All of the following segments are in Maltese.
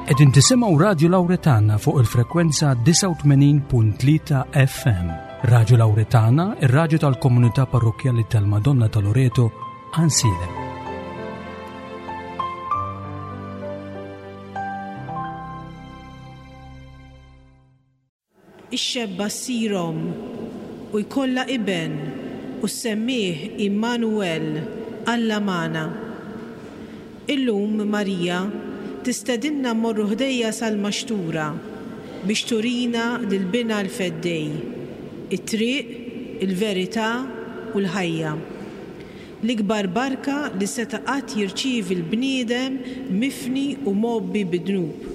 Qegħdin tisimgħu Radju Lawretana fuq il-frekwenza 89.3 FM. Radju Lawretana, ir-radju tal-komunità parrokkjali tal-Madonna ta' Loreto, Ansilem. Ix-xebba ssir omm u jkollha iben u ssemmih Għimmanu-El, Alla magħna. Illum Marija tistedinna mmorru ħdejha sal-maxtura biex turina lil Binha l-Feddej, it-triq, il-verità u l-ħajja. L-ikbar barka li seta' qatt jirċievi l-bniedem mifni u mgħobbi bid-dnub.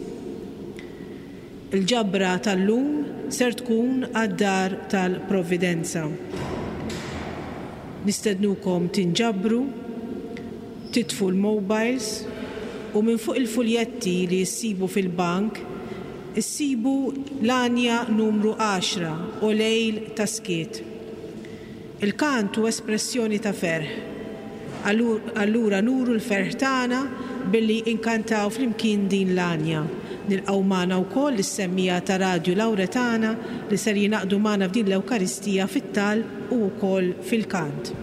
Il-ġabra tal-lum ser tkun għad-Dar tal-Providenza. Nistednukom tinġabru, titfu l-mobiles u minn fuq il-fuljetti li ssibu fil-bank issibu l-għanja numru għaxra, O Lejl ta' Skiet. Il-kant hu espressjoni ta' ferħ. Allura nuru l-ferħ tagħna billi nkantaw flimkien din l-għanja. Nilqgħu magħna wkoll lis-semmiegħa ta' Radju Lauretana li ser jingħaqdu magħna f'din l-Ewkaristija fit-talb u wkoll fil-kant.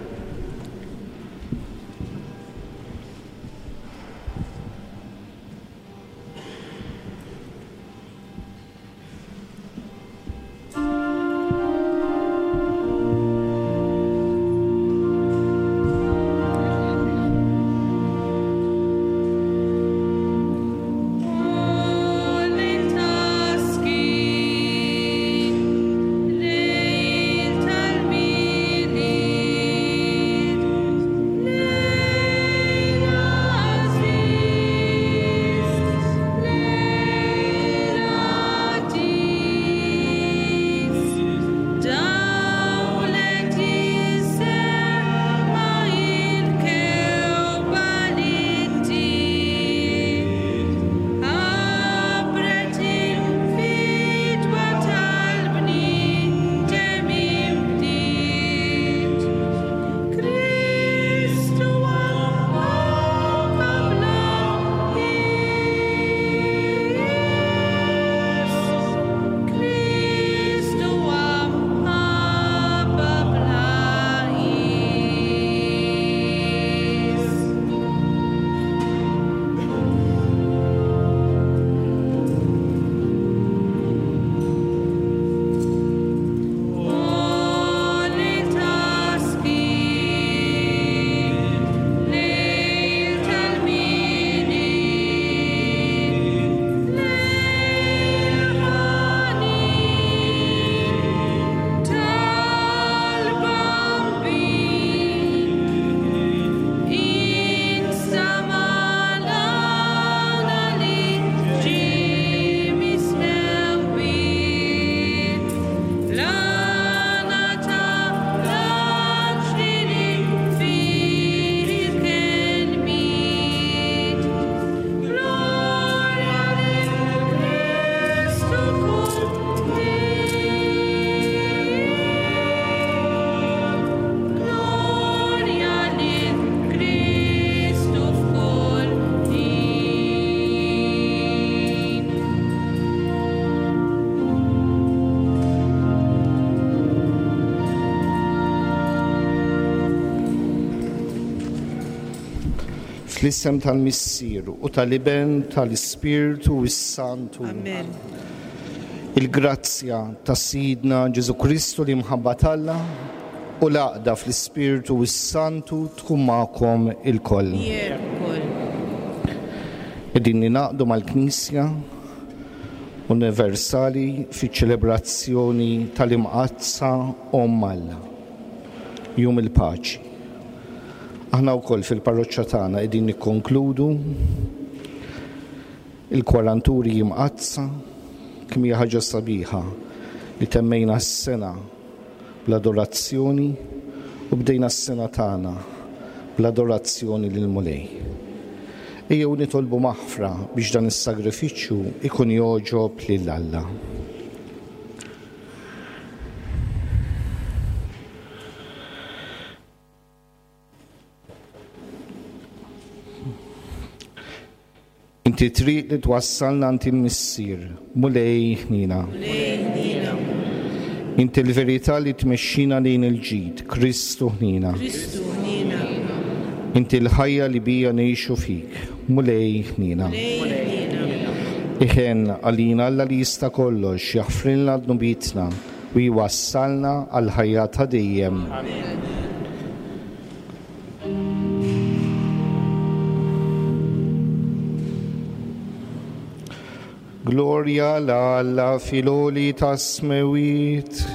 Fl-isem tal-Missier u tal-Iben tal-Ispirtu s-Santu. Amen. Il-grazzja ta' Sidna Ġesu Kristu li mħabba t'Alla u l-għaqda fl-Ispirtu s-Santu tkun magħkom ilkoll. Miegħek ukoll. Qegħdin ningħaqdu mal-Knisja Universali fiċ-ċelebrazzjoni tal-Imqaddsa Omm Alla, Jum il-Paċi. Aħna wkoll fil-parroċċa tagħna qegħdin nikkonkludu il-kwaranturi Imqaddsa, kemm hija ħaġa sabiħa li temmejna s-sena bl-adorazzjoni u bdejna s-sena tagħna bl-adorazzjoni lill-Mulej. Ejjew nitolbu maħfra biex dan is-sagrifiċċju ikun jogħġob lil Alla. Inti t-triq li twassalna għand il-Missier, Mulej ħniena. Mulej ħniena. Inti l-verità li tmexxina lejn il-ġid, Kristu ħniena. Kristu ħniena. Inti l-ħajja li bija ngħixu fik, Mulej ħniena. Mulej ħniena. Iħenn għalina Alla li jista' kollox, jaħfrilna dnubietna u jwassalna għall-ħajja ta' dejjem. Amen. Glorja 'l Alla fil-għoli tas-smewwiet.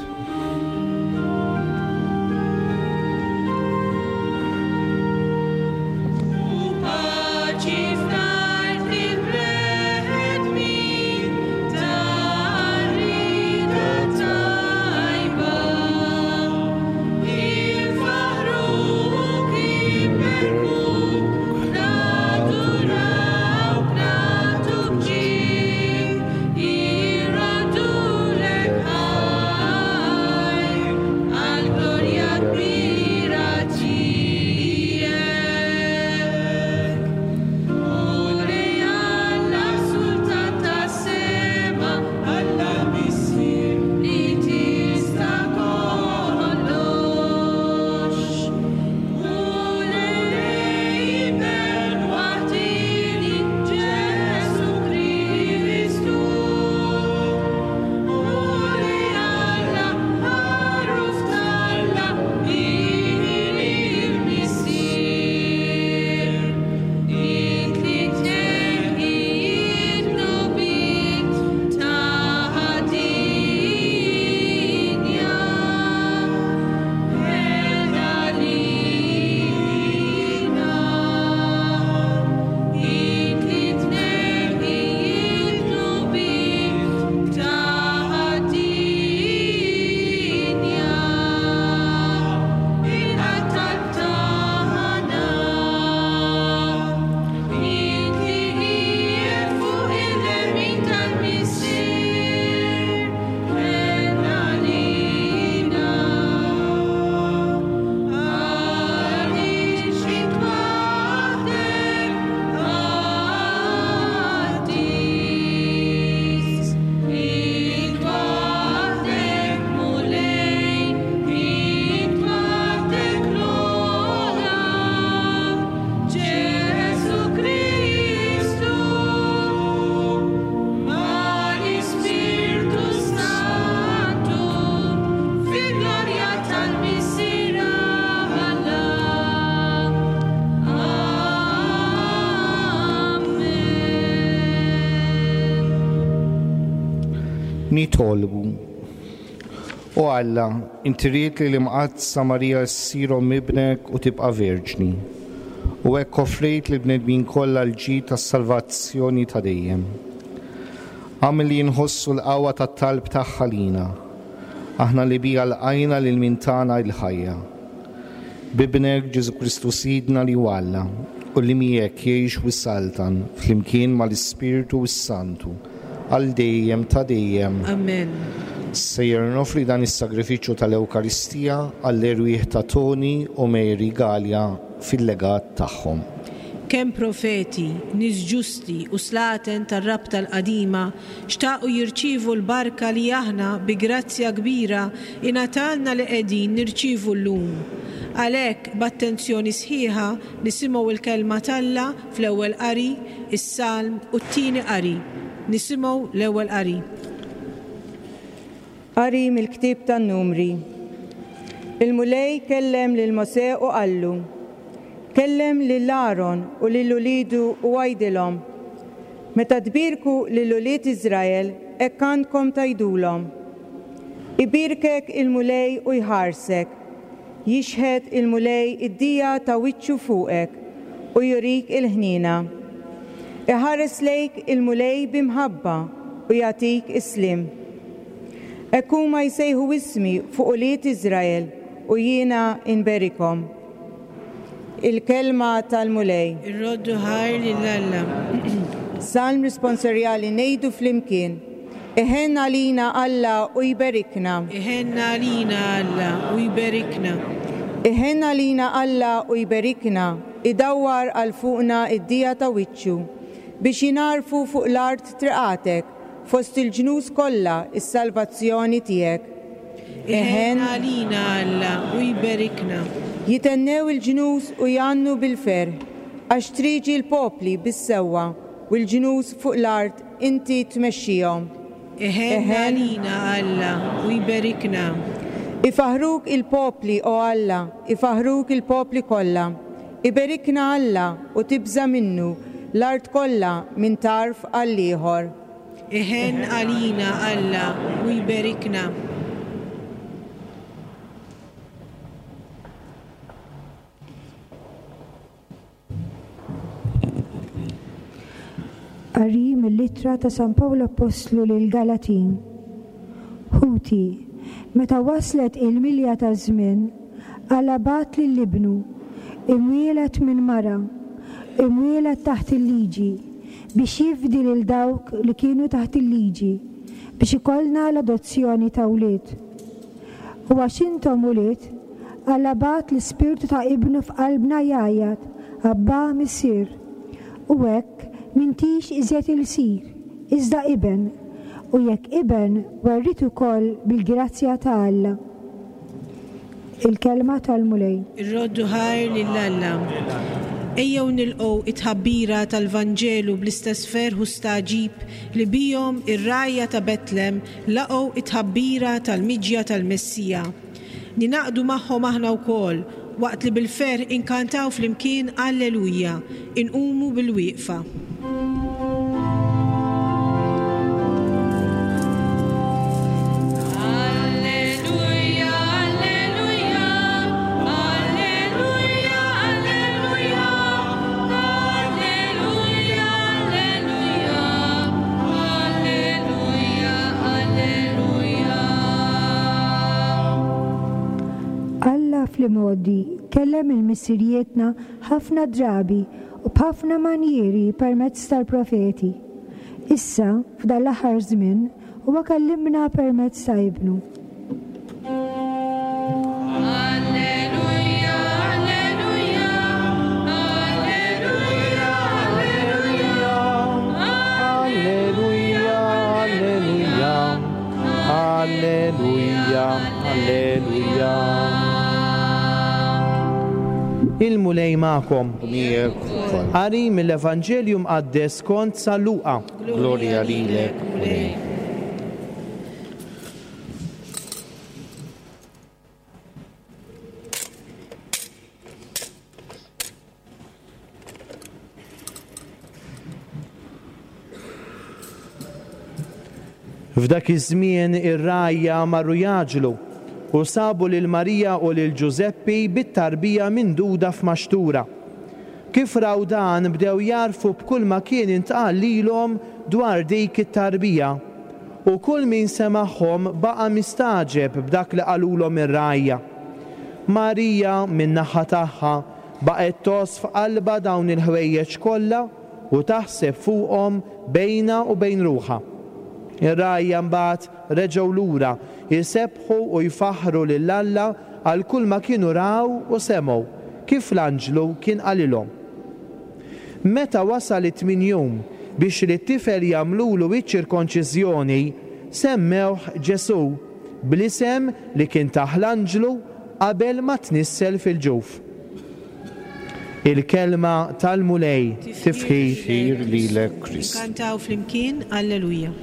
U paċi fl-art lill-bnedmin tar-rieda tajba. Infaħħruk, inberkuk, nadurawk, nagħtuk ġieħ, irroddulek ħajr għall-glorja kbira tiegħek. Mulej Alla, Sultan tas-sema, Alla l-Missier li tista' kollox. Mulej Iben waħdieni Ġesù Kristu. Mulej Alla, Ħaruf t'Alla, Bin il-Missier. Int li tneħħi d-dnubiet ta' dinja. Ħenn għalina. Int li tneħħi d-dnubiet ta' dinja. Il-qatt tagħna. Int li qiegħed fuq il-lemin tal-Missier, ħenn għalina. Għaliex int waħdek qaddis, int waħdek Mulej, int waħdek l-ogħla, Ġesù Kristu, mal-Ispirtu Santu, fil-glorja tal-Missier Alla. Amen. Nitolbu. O Alla, inti ridt li l-Imqaddsa Marija ssir omm ibnek u tibqa' verġni, u hekk offrejt lill-bnedmin kollha l-ġid tas-salvazzjoni ta' dejjem. Agħmel li nħossu l-qawwa tat-talb tagħha lina, aħna li biha lqajna lil min tana l-ħajja. B'Ibnek Ġesù Kristu Sidna li hu Alla, u li miegħek jgħix u jsaltan flimkien mal-Ispirtu s-Santu, għal dejjem ta' dejjem. Amen. Sejjer noffri dan is-sagrifiċċju tal-Ewkaristija għall-erwieħ ta' Tony u Mary Galea fil-legat tagħhom. Kemm profeti, nies ġusti u slaten tar-Rabta l-Qadima xtaqu jirċievu l-barka li aħna bi grazzja kbira ingħatalna li qegħdin nirċievu llum. Għalhekk, b'attenzjoni sħiħa nisimgħu l-Kelma t'Alla fl-ewwel qari, is-Salm u t-tieni qari. Nisimgħu l-ewwel qari. Qari mill-ktieb tan-Numri. Il-Mulej kellem lil Mosè u qallu, Kellem lil Aron u lil uliedu u għidilhom, Meta tbierku lil ulied Iżrael hekk għandkom tgħidulhom, Ibierkek il-Mulej u jħarsek, Jixħet il-Mulej id-dija ta' wiċċu fuqek u jurik il-ħniena. Iħares lejk il-Mulej bi mħabba u jagħtik is-sliem. Hekk huma jsejħu ismi fuq ulied Iżrael u jiena nberikhom. Il-Kelma tal-Mulej. Irroddu ħajr lil Alla. Salm Risponsorjali Ngħidu flimkien, Iħenn għalina Alla u jberikna. Iħenn għalina Alla u jberikna. Iħenn għalina Alla u jberikna, idawwar għal fuqna d-dija ta' wiċċu. Biex jingħarfu fuq l-art triqatek, fost il-ġnus kollha s-salvazzjoni tiegħek. Iħenn għalina Alla u jberikna. Jithennew il-ġnus u jgħannu bil-ferħ, għax trieġi l-popli bis-sewwa, u l-ġnus fuq l-art inti tmexxihom. Iħenn għalina Alla u jberikna. Ifaħħruk il-popli, o Alla, ifaħħruk il-popli kollha. Iberikna Alla u tibża' minnu l-art kollha minn tarf għall-ieħor. Iħenn għalina Alla u jberikna. Qari mill-Ittra ta' San Pawl Appostlu lill-Galatin. Ħuti, meta waslet il-milja taż-żmien, Alla bagħat lil Ibnu, imwieled minn mara, imwieled taħt il-liġi, biex jifdi lil dawk li kienu taħt il-liġi, biex ikollna l-adozzjoni ta' wlied. U għax intom ulied, Alla bagħat l-Ispirtu ta' Ibnu f'qalbna jgħajjat, Abbà, Missier. U hekk m'intix iżjed ilsir, iżda iben, u jekk iben, werriet ukoll bil-grazzja ta' Alla. Il-Kelma tal-Mulej. Irroddu ħajr lil Alla. Ejjew nilqgħu t-tħabbira tal-Vanġelu bl-istess ferħ u stagħġib li bihom ir-rgħajja ta' Betlem laqgħu t-tħabbira tal-miġja tal-Messija. Ningħaqdu magħhom aħna wkoll, waqt li bil-ferħ inkantaw flimkien Alleluja, inqumu bil-wieqfa. Alla fl-imgħoddi kellem 'il missirijietna ħafna drabi u b'ħafna manjieri permezz tal-profeti. Issa, f'dan l-aħħar żmien, huwa kellimna permezz ta' Ibnu. Il-Mulej magħkom. U miegħek ukoll. Qari mill-Evanġelju Mqaddes skont San Luqa. Glorja lilek, Mulej. F'dak iż-żmien ir-rgħajja marru jgħaġġlu u sabu lil Marija u lil Ġużeppi bit-tarbija minduda f'maxtura. Kif raw dan bdew jagħrfu b'kulma kien intqal lilhom dwar dik it-tarbija. U kull min semagħhom baqa' mistagħġeb b'dak li qalulhom ir-rgħajja. Marija, min-naħa tagħha, baqgħet tgħożż f'qalbha dawn il-ħwejjeġ kollha u taħseb fuqhom bejnha u bejn ruħha. Ir-rgħajja mbagħad reġgħu lura, isebbħu u jfaħħru lil Alla għal kulma kienu raw u semgħu, kif l-anġlu kien qalilhom. Meta wasal it-tmien jum biex lit-tifel jagħmlulu iċ-ċirkonċiżjoni, semmewh Ġesù, bl-isem li kien tah l-anġlu qabel ma tnissel fil-ġuf. Il-Kelma tal-Mulej. Tifħir. Tifħir lilek, Kristu. Inkantaw flimkien Alleluja.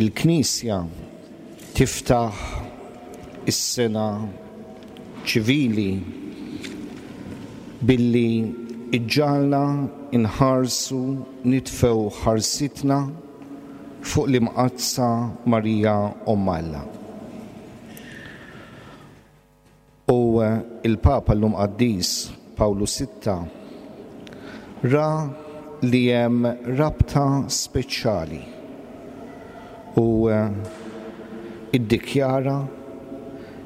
Il-Knisja tiftaħ is-sena ċivili billi ġġagħalna nħarsu nitfgħu ħarsitna fuq l-Imqaddsa Marija Omm Alla. U l-Papa llum Qaddis Pawlu Sitta ra li hemm rabta speċjali u iddikjara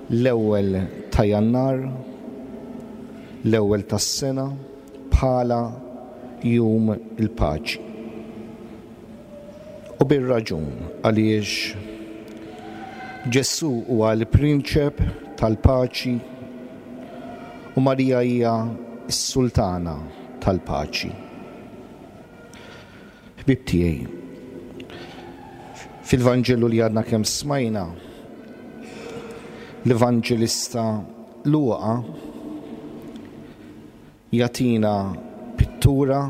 l-ewwel ta' Jannar, l-ewwel tas-sena, bħala Jum il-Paċi. U bir-raġun għaliex Ġesù huwa l-Prinċep tal-Paċi u Marija hija s-Sultana tal-Paċi. Ħbieb tiegħi, fil-Vanġelu li għadna kemm smajna, l-Evanġelista Luqa jagħtina pittura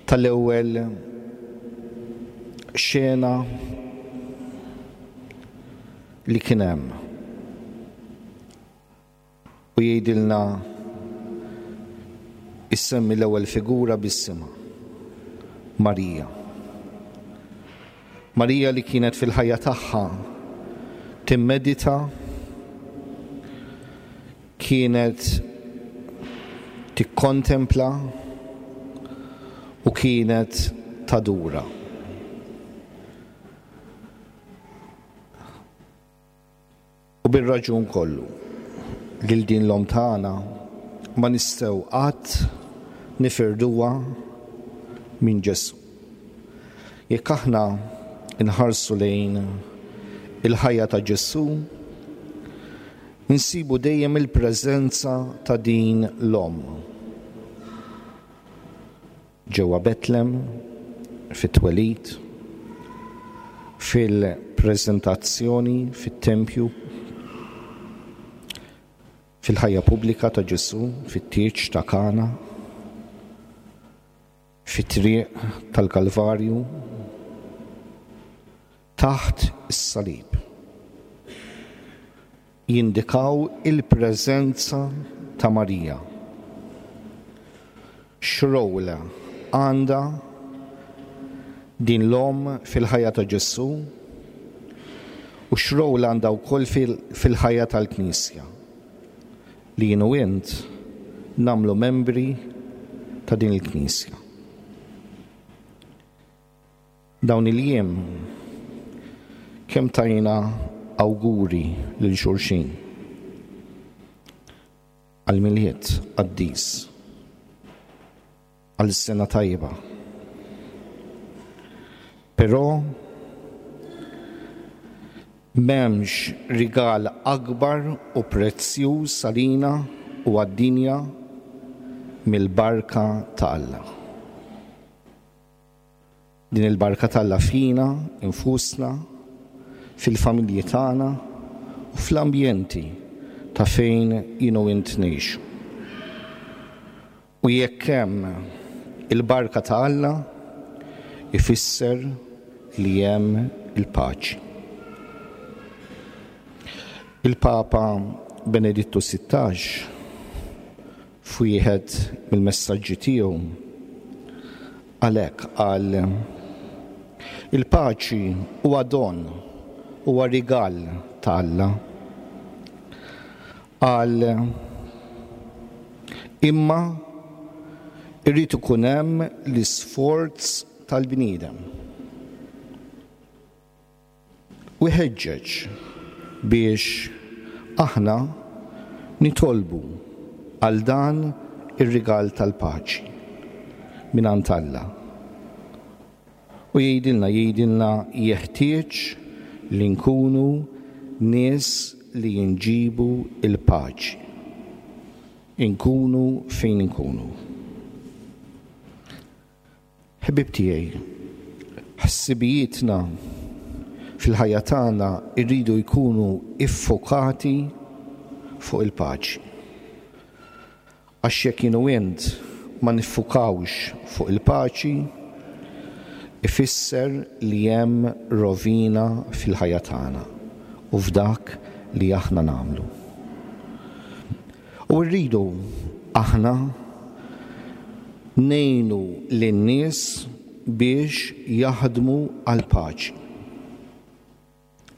tal-ewwel xena li kien hemm. U jgħidilna issemmi l-ewwel figura b'isimha, Marija. Marija li kienet fil-ħajja tagħha timmedita kienet tikkontempla u kienet tadura. U bir-raġun kollu, lil din l-Omm tagħna ma nistgħu qatt nifirduha minn Ġesù. Jekk aħna nħarsu lejn il-ħajja ta' Ġesù, insibu dejjem il-preżenza ta' din l-Omm. Ġewwa Betlem, fit-twelid, fil-preżentazzjoni fit-tempju, fil-ħajja pubblika ta' Ġesù, fit-tieġ ta' Kana, fit-triq tal-Kalvarju, taħt is-salib. Jindikaw il-preżenza ta' Marija. X'role għandha din l-omm fil-ħajja ta' Ġesù u x'role għandha wkoll fil-ħajja tal-Knisja li jien u int nagħmlu membri ta' din il-Knisja. Dawn il-jiem kemm tajna awguri lil xulxin għall-Milied qaddis, għal sena tajba. Però m'hemmx rigal akbar u prezzjuż għalina u għad-dinja mill-barka ta' Alla. Din il-barka t'Alla fina infusna, fil-familji tagħna u fl-ambjenti ta' fejn jien u int ngħixu. U jekk hemm il-barka ta' Alla, ifisser li hemm il-paċi. Il-Papa Benedittu 16 F'wieħed mill-messaġġi tiegħu, għalhekk qal, Il-paċi huwa don, huwa rigal ta' Alla. Qal, Imma jrid ikun hemm l-isforz tal-bniedem. U jħeġġeġ biex aħna nitolbu għal dan ir-rigal tal-paċi mingħand Alla. U jgħidilna jgħidilna jeħtieġ li nkunu nies li nġibu l-paċi. Inkunu fejn inkunu. Ħbieb tiegħi, ħsibijietna fil-ħajja tagħna jridu jkunu iffokati fuq il-paċi. Għax jekk jien u int ma niffukawx fuq il-paċi, ifisser li hemm rovina fil-ħajja tagħna u f'dak li aħna nagħmlu. U rridu aħna ngħinu lin-nies biex jaħdmu għall-paċi.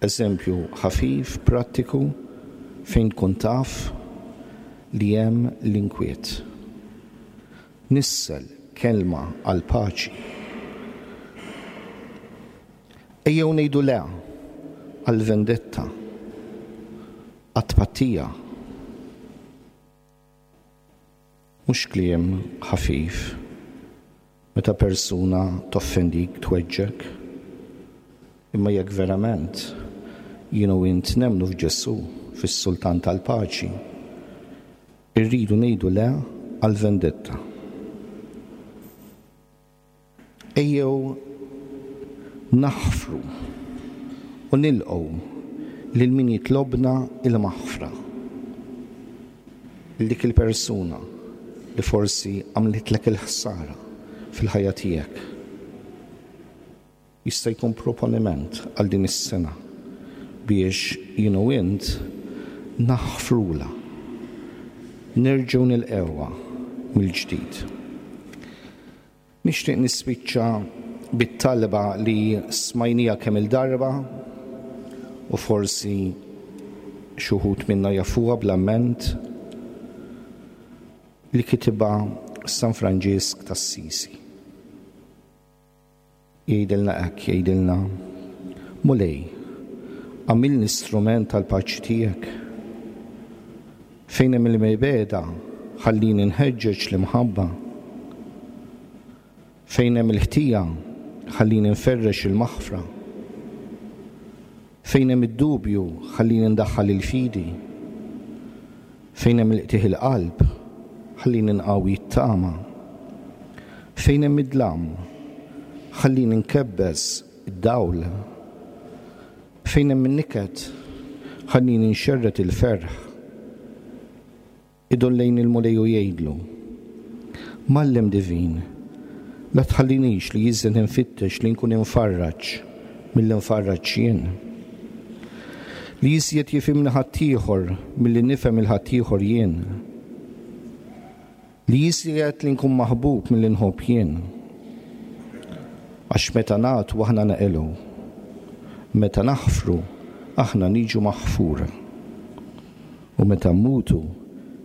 Eżempju ħafif, prattiku, fejn tkun taf li hemm l-inkwiet. Nissel kelma għall-paċi. Ejjew ngħidu le għall-vendetta. Għat-tpattija. Mhux kliem ħafif meta persuna toffendik, tweġġgħek. Imma jekk verament jien u int nemmnu f'Ġesù, fis-Sultan tal-Paċi, irridu ngħidu le għall-vendetta. Ejjew naħfru u nilqgħu lil min jitlobna l-maħfra. Lil dik il-persuna li forsi għamlitlek il-ħsara fil-ħajja tiegħek. Jista' jkun proponiment għal din is-sena biex jien u int naħfrulha, nerġgħu nilqgħuha mill-ġdid. Nixtieq nispiċċa bit-talba li smajniha kemm-il darba u forsi xi wħud minna jafuha bl-amment li kitibha San Franġisk t'Assisi. Jgħidilna hekk, jgħidilna, Mulej, agħmilni strument tal-paċi tiegħek. Fejn hemm il-mibegħda, ħallini nħeġġeġ l-imħabba. Fejn hemm il-ħtija, ħallini nferrex il-maħfra. Fejn hemm id-dubju, ħallini ndaħħal il-fidi. Fejn hemm il-qtigħ il-qalb, ħallini nqawwi t-tama. Fejn hemm id-dlam, ħallini nkebbes id-dawl. Fejn hemm in-niket, ħallini nxerred il-ferħ. Idur lejn il-Mulej u jgħidlu, Mgħallem divin, la tħallinix li iżjed infittex li nkun imfarraġ milli nfarraġ jien. Li iżjed jifhimni ħaddieħor milli nifhem 'il ħaddieħor jien. Li iżjed li nkun maħbub milli nħobb jien. Għax meta nagħtu aħna neqilgħu. Meta naħfru aħna niġu maħfura. U meta mmutu,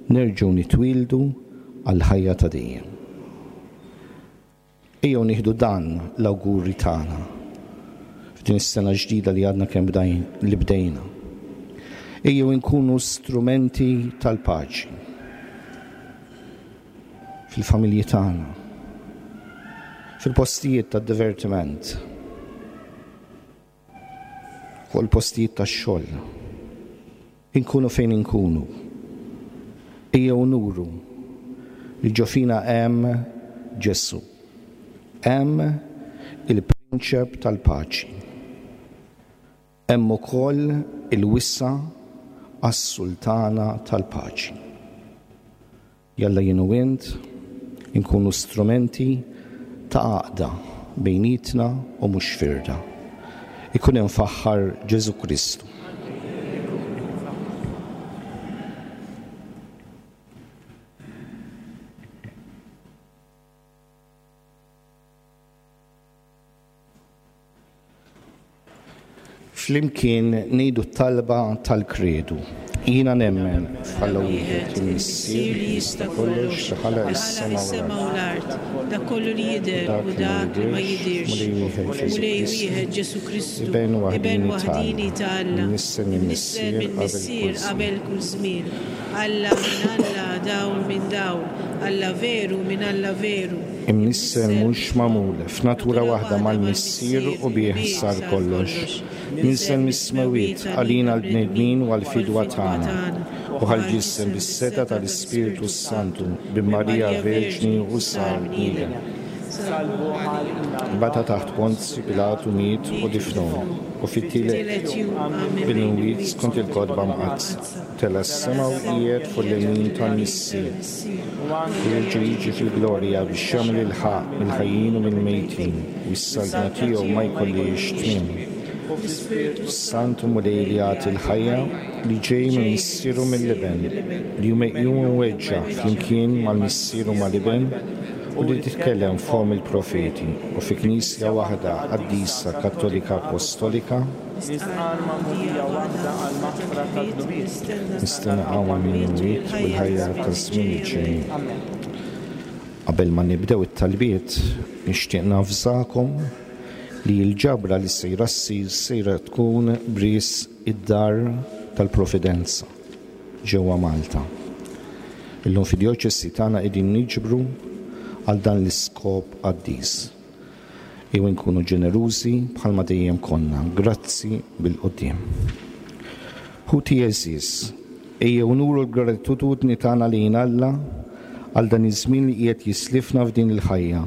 nerġgħu nitwieldu għall-ħajja ta' dejjem. Ejjew nieħdu dan l-awguri tagħna f'din is-sena ġdida li għadna kemm li bdejna. Ejjew inkunu strumenti tal-paċi fil-familji tagħna, fil-postijiet tad-divertiment, fuq il-postijiet tax-xogħol. Inkunu fejn inkunu, ejjew nuru li ġo fina hemm Ġesù. Hemm il-Prinċep tal-Paċi. Hemm ukoll il-wisa' għas-Sultana tal-Paċi. Jalla jien u int inkunu strumenti ta' għaqda bejnietna u mhux firda. Ikun imfaħħar Ġesù Kristu. Flimkien ngħidu t-talba tal-Kredu. Jiena nemmen f'Alla wieħed, il-Missier li jista' kollox li ħalaq is-sema u l-art, dak kollu li jidher u dak li ma jidhirx, Mulej wieħed Ġesù Kristu, Iben waħdieni ta' Alla, imnissel mill-Missier qabel kull żmien, Alla minn Alla, dawl minn dawl, Alla veru minn Alla veru, Imnissel mhux magħmul, f'natura waħda mal-Missier u bih sar kollox. Niżel mis-smewwiet għalina l-bnedmin u għall-fidwa tagħna, u ħa l-ġisem bis-setgħa tal-Ispirtu s-Santu, bin Marija Verġni u sar bniedem. Bata taħt Ponzju Pilatu miet u difnuh, u fit-tielet jum qam mill-imwiet skont il-Kotba Mqaddsa. Tela' s-sema u qiegħed fuq il-lemin tal-Missier, u jerġa' jiġi fil-glorja biex jagħmel il-ħaqq mill-ħajjin u mill-mejtin, u s-saltna tiegħu ma jkollhiex tmiem. Santu Mulej li jagħti l-ħajja, li ġej mill-Missier u mill-Iben, li hu meqjum u mweġġa' flimkien mal-Missier u mal-Iben, u li titkellem f'fomm il-profeti, u fi Knisja waħda, qaddisa, Kattolika, Appostolika, Nistqarr magħmudija waħda għall-maħfra tad-dnubiet. Nistenna qawma mill-imwiet u l-ħajja taż-żmien li ġej. Qabel ma nibdew it-talbiet, nixtieq navżakom li l-ġabra li sejra ssir sejra tkun b'risq id-Dar tal-Providenza. ġewwa Malta. Illum fid-djoċesi tagħna qegħdin niġbru għal dan l-iskop qaddis. Ejjew inkunu ġenerużi bħalma dejjem konna. Grazzi bil-quddiem. Ħuti għeżież, ejjew nuru l-gratitudni tagħna lejn Alla għal dan iż-żmien li qiegħed jislifna f'din il-ħajja.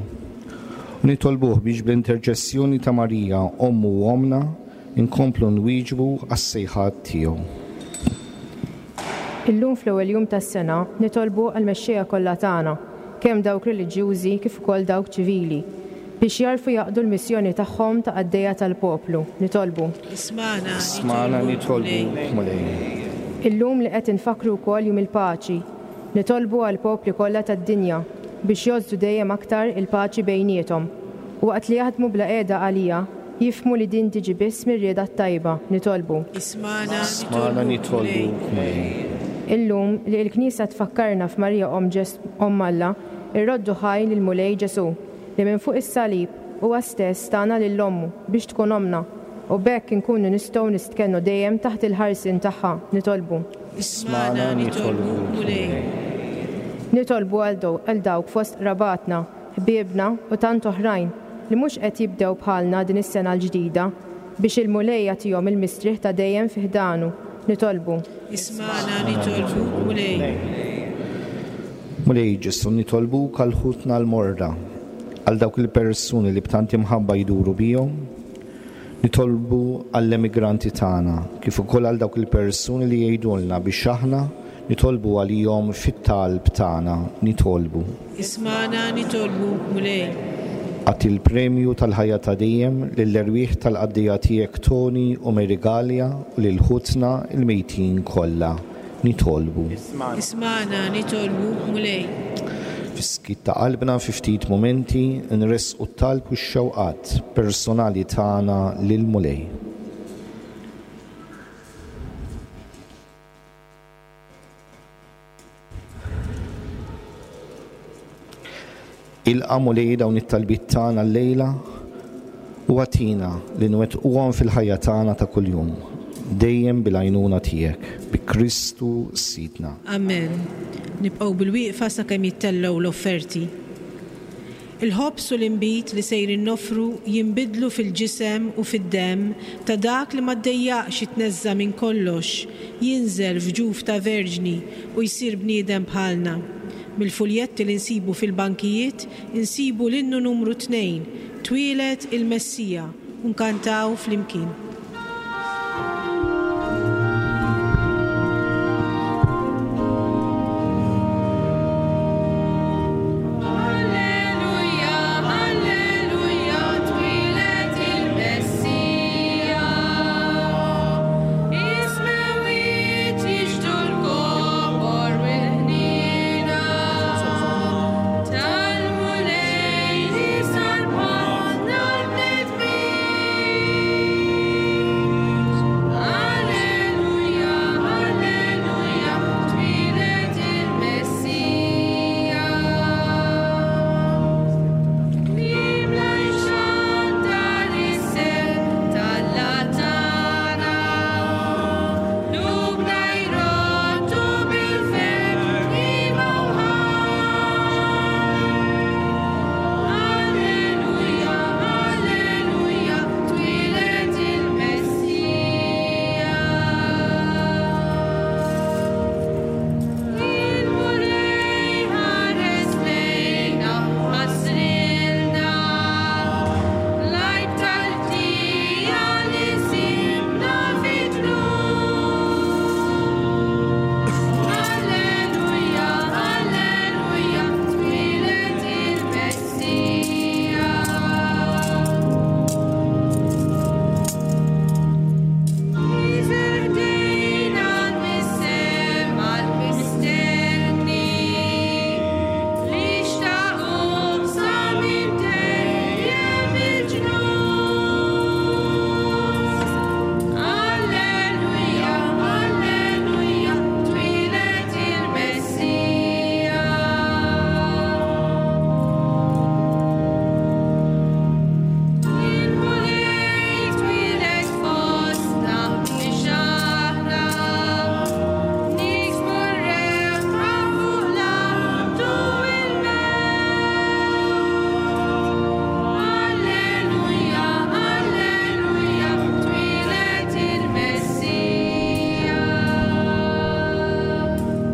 U nitolbuh biex bl-interċessjoni ta' Marija, Ommu u Ommna, inkomplu nwieġbu għas-sejħat tiegħu. Illum fl-ewwel jum tas-sena nitolbu għall-mexxejja kollha tagħna, kemm dawk reliġjużi kif ukoll dawk ċivili, biex jagħrfu jaqdu l-missjoni tagħhom ta' qaddejja tal-poplu. Nitolbu. Ismagħna, Ismagħna, nitolbuk, Mulej. Illum li qed infakkru wkoll Jum il-Paċi, nitolbu għall-popli kollha tad-dinja biex jgħożżu dejjem aktar il-paċi bejniethom, u waqt li jaħdmu bla qiegħda għaliha, Jifhmu li din tiġi biss mir-rieda t-tajba, nitolbu. Ismagħna, nitolbuk, Mulej. Illum, li il-Knisja tfakkarna f'Marija Omm Ġes Omm Alla, irroddu ħaj lill-Mulej Ġesù, li minn fuq is-salib, huwa stess tana lil Ommu biex tkun ommna, u b'hekk inkunu nistgħu nistkennu dejjem taħt il-ħarsien tagħha, nitolbu. Ismagħna, nitolbuk, Mulej. Nitolbu għal dawk fost qrabatna, ħbiebna u tant oħrajn li mhux qed jibdew bħalna din is-sena l-ġdida, biex il-Mulej jagħtihom il-mistrieħ ta' dejjem fi ħdanu. Nitolbu. Ismagħna nitolbuk, Mulej. Mulej Ġesù, nitolbuk għal ħutna l-morda, għal dawk il-persuni li b'tant imħabba jduru bihom, nitolbu għall-emigranti tagħna, kif ukoll għal dawk il-persuni li jgħidulna biex aħna nitolbu għalihom fit-talb tagħna. Nitolbu. Ismagħna nitolbuk, Mulej. Agħti l-premju tal-ħajja ta' dejjem lill-erwieħ tal-qaddejja tiegħek Tony u Mary Galea u lil ħutna l-mejtin kollha. Nitolbu. Ismagħna nitolbuk, Mulej. Fis-skiet ta' qalbna fi ftit mumenti nressqu t-talb u x-xewqat personali tagħna lill-Mulej. Ilqa' Mulej dawn it-talbiet tagħna llejla u agħtina li nwettquhom fil-ħajja tagħna ta' kuljum, dejjem bil-għajnuna tiegħek, bi Kristu Sidna. Amen. Nibqgħu bilwieqfa sakemm jittellgħu l-offerti. Il-ħobż u l-inbid li sejrin noffru jinbidlu fil-ġisem u fid-demm ta' dak li ma ddejjaqx jitneżża' minn kollox, jinżel f'ġuf ta' verġni u jsir bniedem bħalna. Mill-fuljetti li nsibu fil-bankijiet insibu l-innu numru tnejn, Twieled il-Messija, u nkantaw flimkien.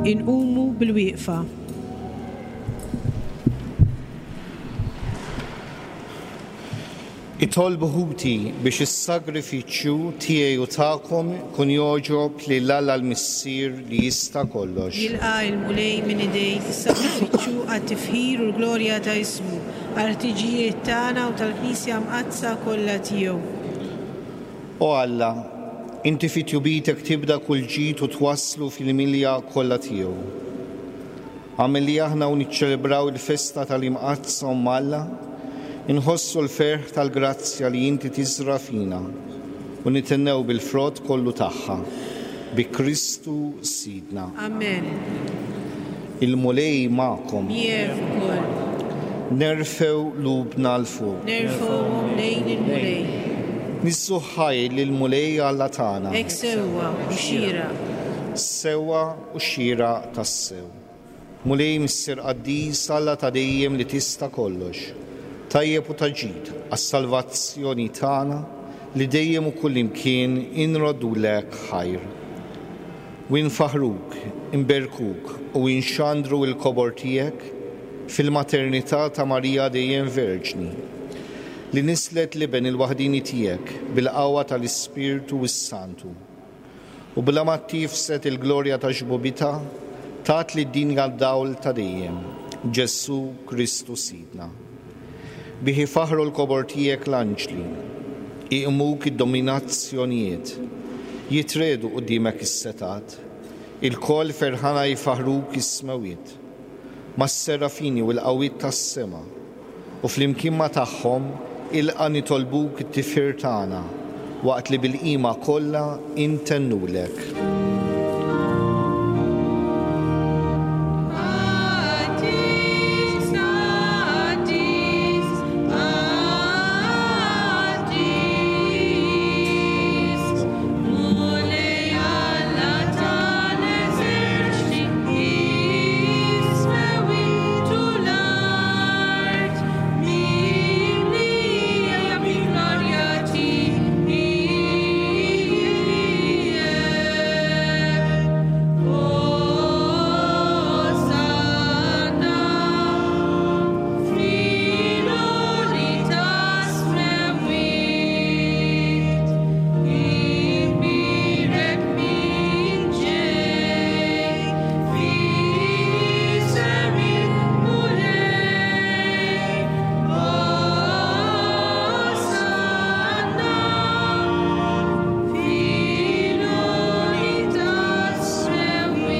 Inqumu bilwieqfa. Itolbu ħuti biex is-sagrifiċċju tiegħi u tagħkom ikun jogħġob lil Alla l-Missier li jista' kollox. Jilqa' l-Mulej minn idejk is-sagrifiċċju għat-tifħir u l-glorja ta' ismu, għall-ħtiġijiet tagħna u tal-Knisja Mqaddsa kollha tiegħu. O Alla, inti fi tjubitek tibda kull ġid u twasslu fil-milja kollha tiegħu. Agħmel li aħna u niċċelebraw il-festa tal-Imqaddsa Omm Alla, inħossu l-ferħ tal-grazzja li inti tiżra' fina u nithennew bil-frott kollu tagħha. Bi Kristu Sidna. Amen. Il-Mulej magħkom. Miegħek ukoll. Nerfgħu qlubna 'l fuq. Nerfgħuhom lejn il-Mulej. Niżżu ħajr lill-Mulej Alla tagħna. Hekk sewwa u xieraq. Sewwa u xieraq tassew. Mulej Missier Qaddis, Alla ta' dejjem li tista' kollox, tajjeb u ta' ġid għas-salvazzjoni tagħna li dejjem u kullimkien inroddulek ħajr. U infaħħruk, inberkuk u inxandru l-kobor tiegħek fil-maternità ta' Marija dejjem Verġni, li nisslet l-Iben il-waħdieni tiegħek bil-qawwa tal-Ispirtu s-Santu. U bla ma ttiefset il-glorja ta' xbubitha, tat lid-dinja d-dawl ta' dejjem, Ġesù Kristu Sidna. Bih ifaħħru l-kobor tiegħek l-anġli, iqmuk id-dominazzjonijiet, jitriegħdu quddiemek is-setgħat, ilkoll ferħana jfaħħruk is-smewwiet, mas-serafini u l-qawwiet tas-sema, u flimkien ma' tagħhom ilqa' nitolbuk it-tifħir tagħna waqt li bil-qima kollha intennulek. Qaddis, qaddis, qaddis, Mulej Alla tal-eżerċti, is-smewwiet u l-art mimlija bil-glorja tiegħek. Osanna fil-għoli tas-smewwiet, imbierek min ġej f'isem il-Mulej. Osanna fil-għoli tas-smewwiet.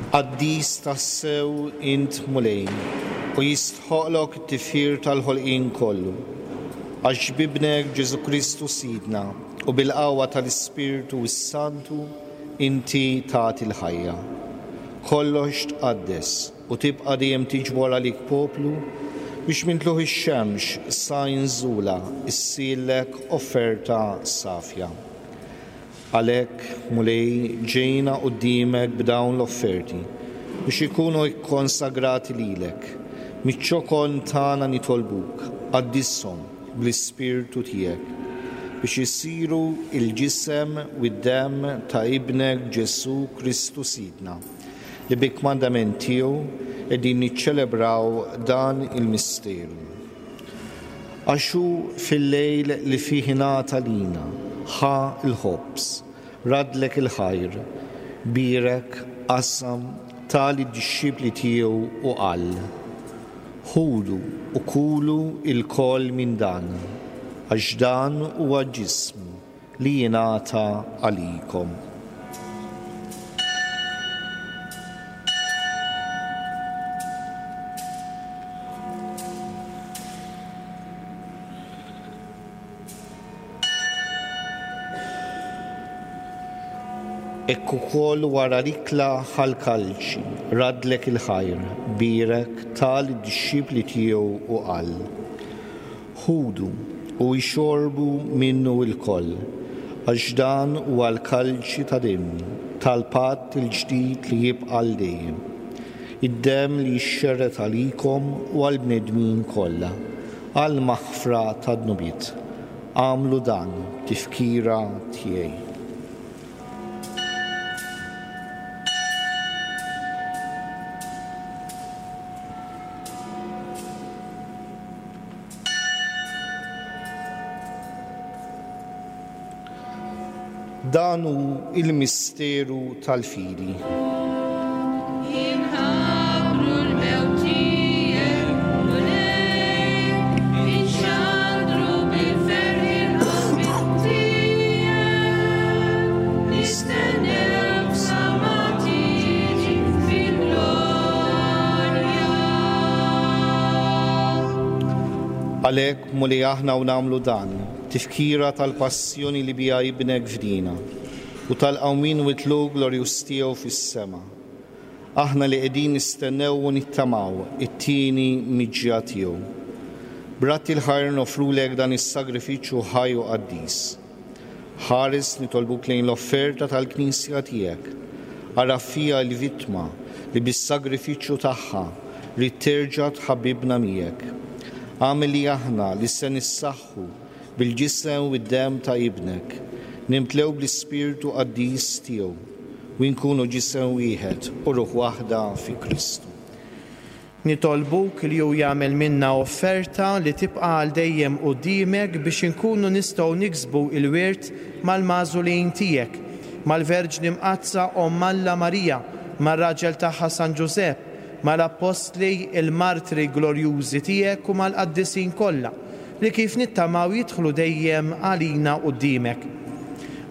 Qaddis tassew int Mulej, u jistħoqlok it-tifħir tal-ħolqien kollu. Għax b'Ibnek Ġesù Kristu Sidna u bil-qawwa tal-Ispirtu s-Santu inti tagħti l-ħajja. Kollox tqaddes u tibqa' dejjem tiġbor għalik poplu biex minn tlugħ ix-xemx sa inżulha ssirlek offerta safja. Għalhekk, Mulej, ġejna quddiemek b'dawn l-offerti biex ikunu kkonsagrati lilek. Miċ-ċokon tagħna nitolbuk, qaddishom bl-Ispirtu tiegħek, biex isiru l-ġisem u d-demm ta' Ibnek Ġesù Kristu Sidna, li bi kmandament tiegħu qegħdin niċċelebraw dan il-misteru. Għax hu fil-lejl li fih ingħata lina, ħa l-ħobż, raddlek il-ħajr, bierek, qasam, ta lid-dixxipli tiegħu u qal, Ħudu u kulu lkoll minn dan, għax dan huwa ġismi li jingħata għalikom. Hekk ukoll wara l-ikla ħa l-kalċi, raddlek il-ħajr, bierek, ta lid-dixxipli tiegħu u qal, Ħudu u ixorbu minnu lkoll, għax dan huwa l-kalċi ta' demmi, tal-patt il-ġdid li jibqa' għal dejjem, id-demm li jixxerred għalikom u għall-bnedmin kollha, għall-maħfra tad-dnubiet. Agħmlu dan b'tifkira tiegħi. Dan hu l-misteru tal-fidi. Inħabbru l-mewt tiegħek, Mulej, inxandru bil-ferħ il-qawmien tiegħek, nistennewk sa ma tiġi fil-glorja. Għalhekk, Mulej, aħna u nagħmlu dan, tifkira tal-passjoni li biha Ibnek fdina, u tal-qawmien u t-tlugħ glorjuż tiegħu fis-sema, aħna li qegħdin nistennew u nittamaw it-tieni miġja tiegħu. B'radd il-ħajr noffrulek dan is-sagrifiċċju ħaj u qaddis. Ħares nitolbuk lejn l-offerta tal-Knisja tiegħek. Agħraf fiha l-vittma li bis-sagrifiċċju tagħha ridt terġa' tħabbibna miegħek. Agħmel li aħna li se nissaħħu bil-ġisem u d-demm ta' Ibnek, nimtlew bl-Ispirtu qaddis tiegħu u nkunu ġisem wieħed u ruħ waħda fi Kristu. Nitolbuk li hu jagħmel minna offerta li tibqa' għal dejjem quddiemek biex inkunu nistgħu niksbu l-wirt mal-magħżulin tiegħek, mal-Verġni Mqaddsa Omm Alla Marija, mar-raġel tagħha San Ġużepp, mal-Appostli, il-martri glorjużi tiegħek u mal-qaddisin kollha, li kif nittamaw jidħlu dejjem għalina quddiemek.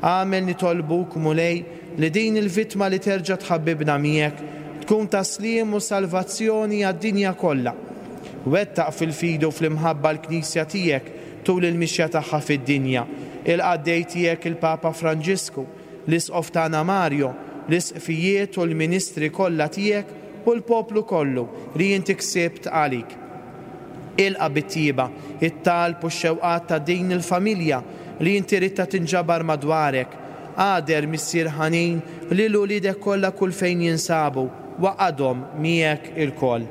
Agħmel nitolbuk, Mulej, li din il-vittma li terġa' tħabbibna miegħek tkun ta' sliem u salvazzjoni għad-dinja kollha. Wettaq fil-fidi u fl-imħabba l-Knisja tiegħek tul il-mixja tagħha fid-dinja, il-qaddej tiegħek il-Papa Franġisku, l-Isqof tagħna Mario, l-Isqfijiet u l-ministri kollha tiegħek u l-poplu kollu li inti ksibt għalik. Ilqa' bit-tjieba t-talb u x-xewqat ta' din il-familja li inti ridtha tinġabar madwarek. Agħder, Missier ħanin, lil uliedek kollha kull fejn jinsabu, waqgħadhom miegħek ilkoll.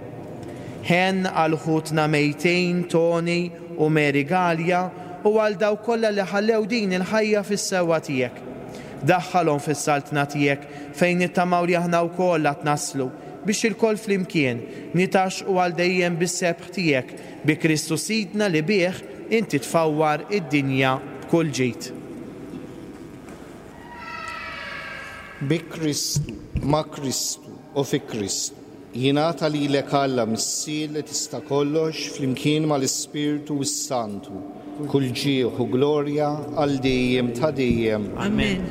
Ħenn għal ħutna mejtin Tony u Mary Galea u għal dawk kollha li ħallew din il-ħajja fis-sewwa tiegħek. Daħħalhom fis-Saltna tiegħek fejn nittamaw li aħna wkoll għad naslu, biex ilkoll flimkien nitgħaxxqu għal dejjem bis-sebħ tiegħek, bi Kristu Sidna li bih inti tfawwar id-dinja b'kull ġid. Bi Kristu, ma' Kristu, u fi Kristu, jingħata lilek Alla Missier li tista' kollox flimkien mal-Ispirtu s-Santu, kull ġieħ u glorja għal dejjem ta' dejjem. Amen.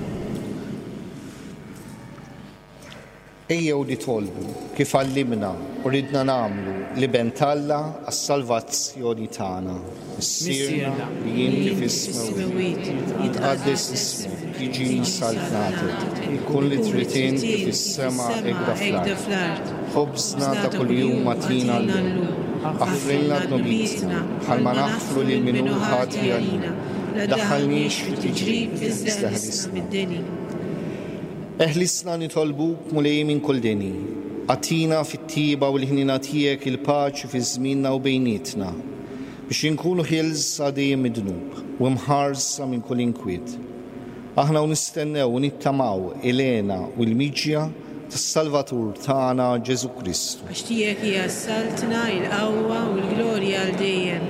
Ejjew nitolbu, kif għallimna u ridna nagħmlu l-Iben t'Alla għas-salvazzjoni tagħna. Missierna li inti fis-smewwiet, jitqaddes ismek, tiġi saltnatek, ikun li trid int kif fis-sema hekk fl-art. Ħobżna ta' kuljum agħtina llum. Aħfrilna dnubietna, bħalma naħfru lil min hu ħati għalina. Daħħalniex fi tiġrib, iżda ħlisna. Eħlisna nitolbuk, Mulej, minn kull deni. Agħtina fit-tjieba u l-ħniena tiegħek il-paċi fi żmienna u bejnietna, biex inkunu ħielsa dejjem mid-dnub u mħarsa minn kull inkwiet. Aħna u nistennew u nittamaw il-hena u l-miġja tas-Salvatur tagħna Ġesù Kristu. Għax tiegħek hija s-saltna, il-qawwa u l-glorja għal dejjem.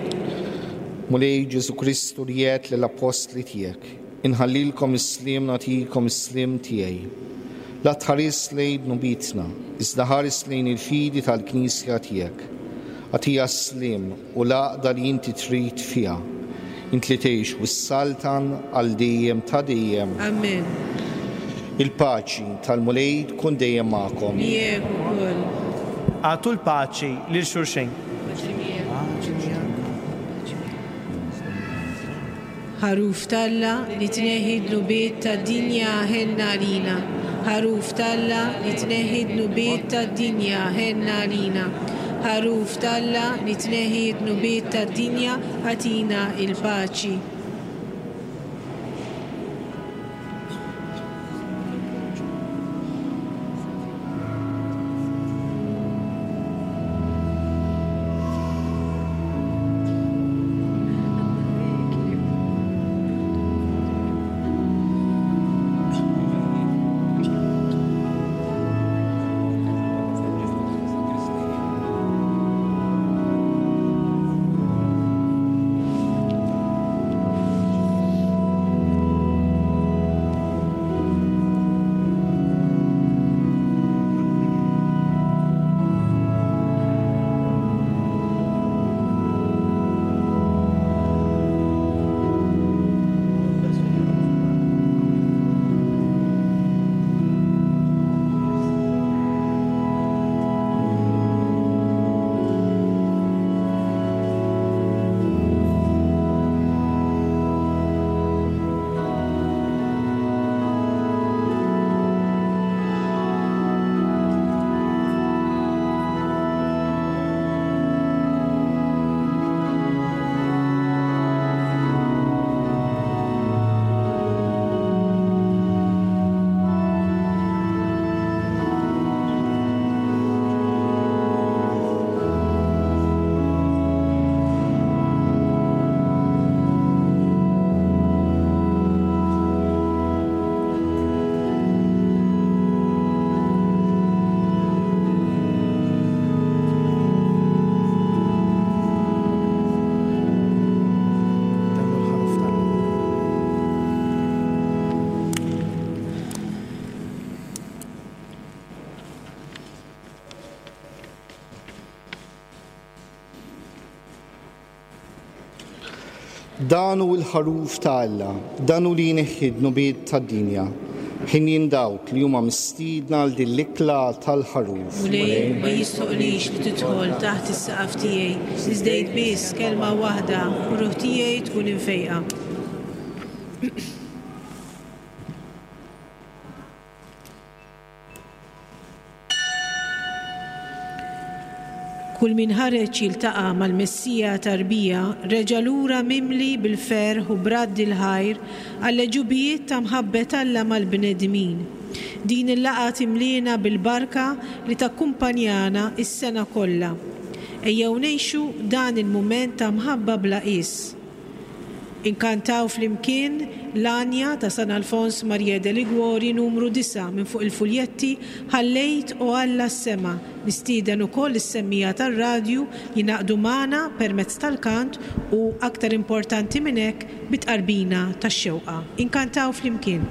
Mulej Ġesù Kristu li għedt lill-appostli tiegħek, Inħallilkom is-sliem nagħtikom is-sliem tiegħi. La tħaris lejn dnubietna, iżda ħares lejn il-fidi tal-Knisja tiegħek. Agħtiha s-sliem u l-għaqda li inti trid fiha, int li tgħix u ssaltan għal dejjem ta' dejjem. Amen. Il-paċi tal-Mulej tkun dejjem magħkom. Miegħek ukoll. Agħtu l-paċi lil xulxejn. Paċi miegħek. Paċi miegħek. Ħaruf t'Alla li tneħħi d-dnubiet tad-dinja ħenn għalina. Ħaruf t'Alla li tneħħi d-dnubiet tad-dinja ħenn għalina. Ħaruf t'Alla li tneħħi d-dnubiet tad-dinja agħtina l-paċi. Dan hu l-Ħaruf ta' Alla, dan hu li jneħħi d-dnubiet tad-dinja. Ħinjin dawk li huma mistiedna għal din l-ikla tal-Ħaruf. Mulej, ma jistħoqqlix li tidħol taħt is-saqaf tiegħi, iżda għid biss kelma waħda u ruħ tiegħi tkun imfejqa. Kull min ħareġ jiltaqa' mal-Messija tarbija reġa' lura mimli bil-ferħ u b'radd il-ħajr għall-għeġubijiet ta' mħabbet Alla mal-bnedmin. Din il-laqgħa timliena bil-barka li takkumpanjana s-sena kollha. Ejjew ngħixu dan il-mument ta' mħabba bla qies. Inkantaw flimkien l-għanja ta' San Alfons Maria de Liguori numru disgħa minn fuq il-fuljetti Ħallejt O Alla s-Sema. Nistieden ukoll lis-semmiegħa tar-radju jingħaqdu magħna permezz tal-kant u, aktar importanti minn hekk, bit-tqarbina tax-xewqa. Inkantaw flimkien.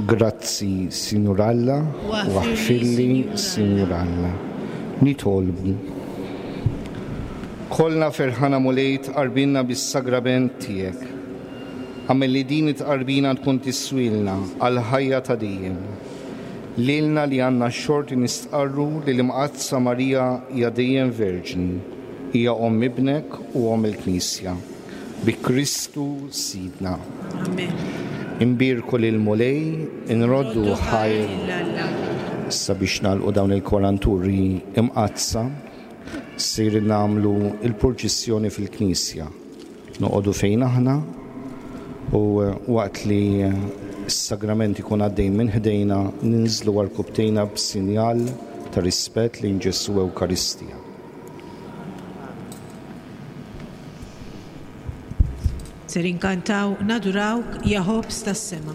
Grazzi, Sinjur Alla, u aħfirli, Sinjur Alla. Nitolbu. Kollna ferħana Mulej tqarbinna bis-sagrament tiegħek. Agħmel li din it-tqarbina tkun tiswilna għall-ħajja ta' dejjem. Lilna li għandna x-xorti nistqarru li l-Imqaddsa Marija hija dejjem Verġni, hija Omm Ibnek u Omm il-Knisja. Bi Kristu Sidna. Amen. Imbierku lill-Mulej, inroddu ħajr. Issa biex nagħlqu dawn il-kwaranturi imqaddsa, sejrin nagħmlu l-purċissjoni fil-knisja. Noqogħdu fejn aħna u waqt li s-sagrament ikun għaddej minn ħdejna ninżlu għarkupptejna b'sinjal ta' rispett lejn Ġesù Ewkaristija. Ser inkantaw Nadurawk ja ħobż tas-sema.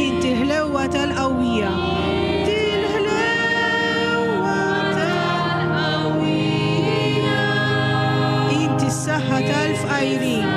Inti l-ħlewwa tal-qawwija. Inti l-ħlewwa tal-qawwija. Inti s-saħħa tal-fqajrin.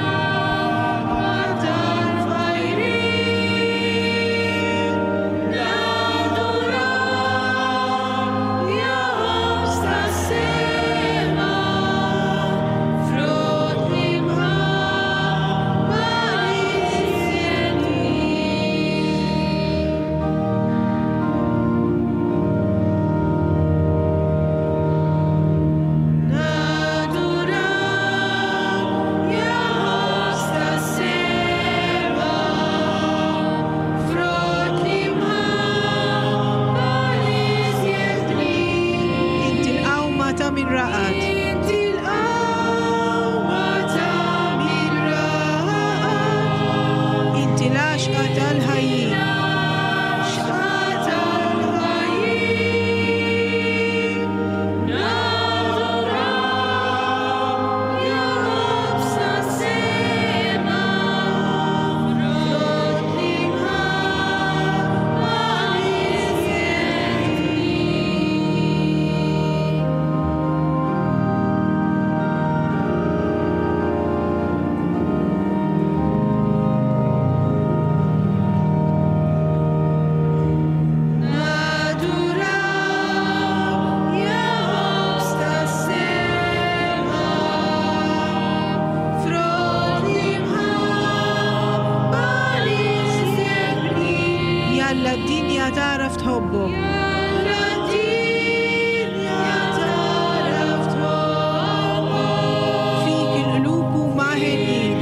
Inti l-qawma ta' min raqad. Inti l-qawma ta' min raqad. Inti l-għaxqa tal-ħajjin. Jalla d-dinja tagħraf tħobbok. Fik il-qlub huma henjin.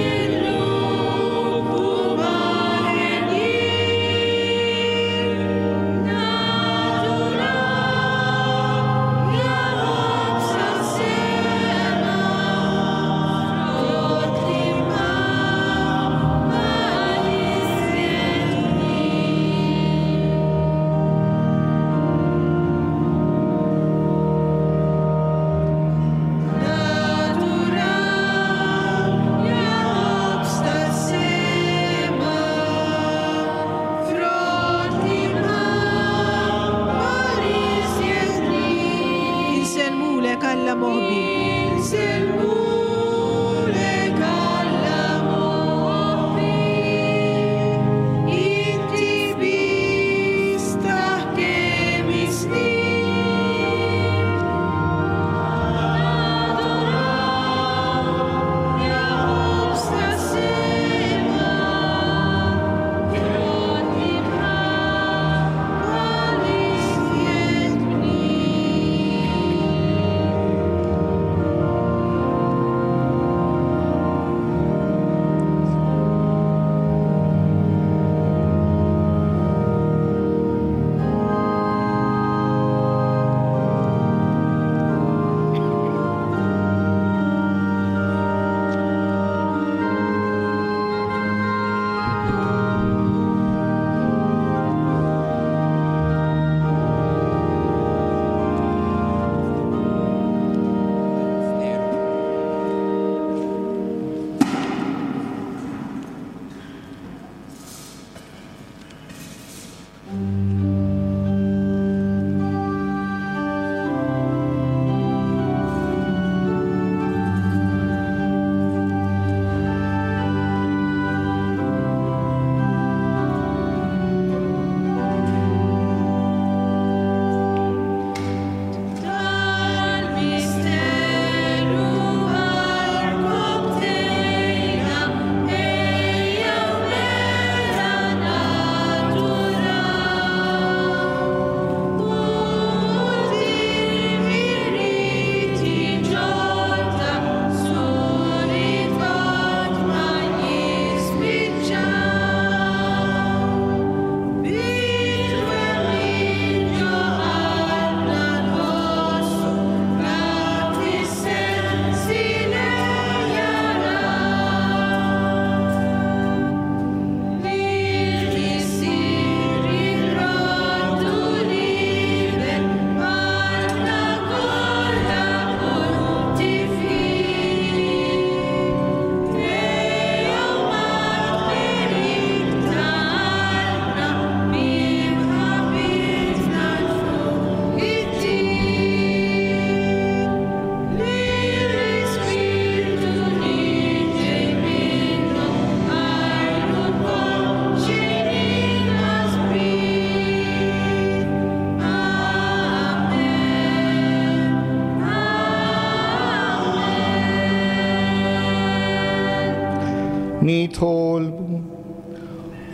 Nitolbu.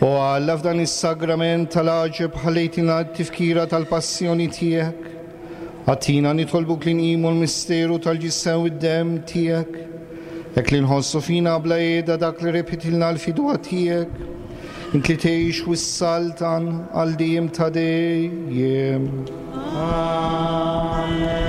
O Alla f'dan is-sagrament tal-għaġeb ħallejtilna t-tifkira tal-passjoni tiegħek. Agħtina nitolbuk li nqimu l-misteru tal-ġisem u d-demm tiegħek, hekk li nħossu fina bla qiegħda dak li rebħitilna l-fidwa tiegħek, int li tgħix u ssaltan għal dejjem ta' dejjem. Amen.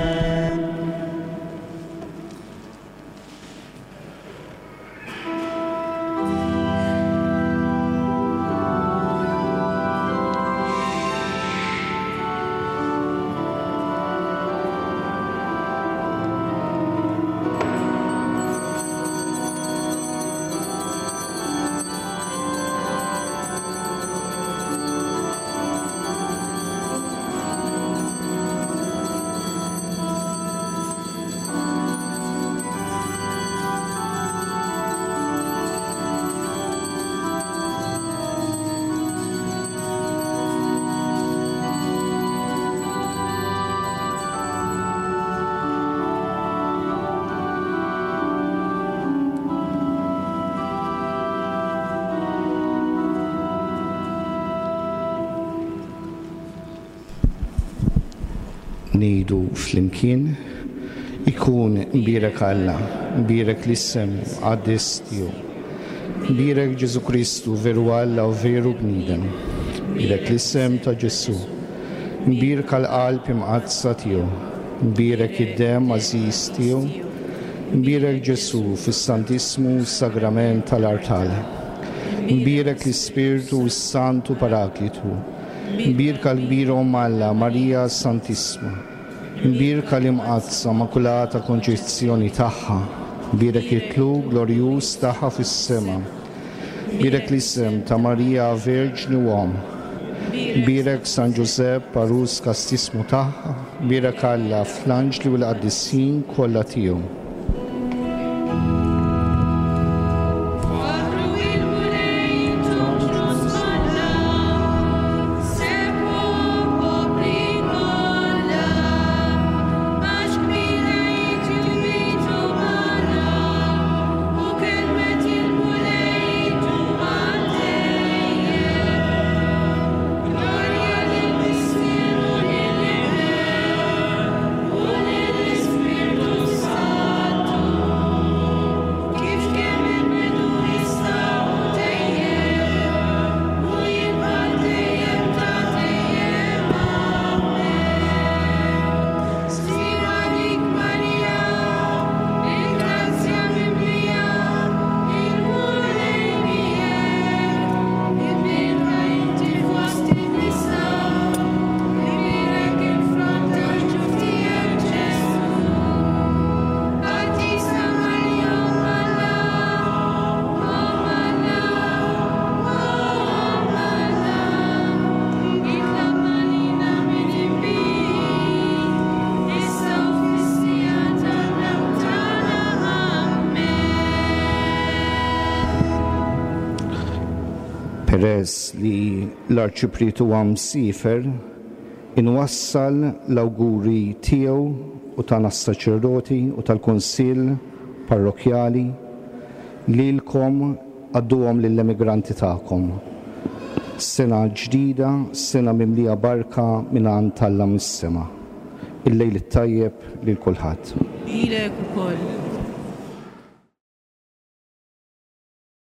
Ngħidu flimkien, Ikun imbierek Alla, imbierek l-isem qaddis tiegħu. Imbierek Ġesù Kristu, veru Alla u veru bniedem. Imbierek l-isem ta' Ġesù. Imbierka l-qalb imqaddsa tiegħu. Imbierek id-demm għażiż tiegħu. Imbierek Ġesù fis-Santissmu Sagrament tal-Artal. Imbierek l-Ispirtu s-Santu Paraklitu. Imbierka l-kbira Omm Alla, Marija Santissma. Imbierka l-Imqaddsa Makulata Konċezzjoni tagħha. Imbierek it-tlugħ glorjuż tagħha fis-sema. Imbierek l-isem ta' Marija Verġni u Omm. Imbierek San Ġużepp għarus kastissmu tagħha. Imbierek Alla fl-anġli u l-qaddisin kollha tiegħu. Faħħru il-Mulej intom ġnus kollha, sebħu popli kollha, għax kbira hi tjubitu Alla, u kelmet il-Mulej ddum għal dejjem. Glorja lill-Missier u lill-Iben u lill-Ispirtu s-Santu, kif kien mill-bidu issa u dejjem, u jibqa' għal dejjem ta' dejjem. Amen. Sliem għalik Marija, bil-grazzja mimlija, il-Mulej miegħek, imbierka inti fost in-nisa, imbierek il-frott tal-ġuf tiegħek Ġesù. Qaddisa Marija Omm Alla, Omm Alla, Omm Alla, itlob għalina midinbin, issa u fis-siegħa tal-mewt tagħna. Amen. Peress li l-Arċipriet huwa msiefer, inwassal l-awguri tiegħu u tagħna s-saċerdoti u tal-Kunsill Parrokkjali lilkom għadduhom lill-emigranti tagħkom. Sena ġdida, sena mimlija barka mingħand Alla mis-sema. Il-lejl it-tajjeb lil kulħadd. Lilek ukoll.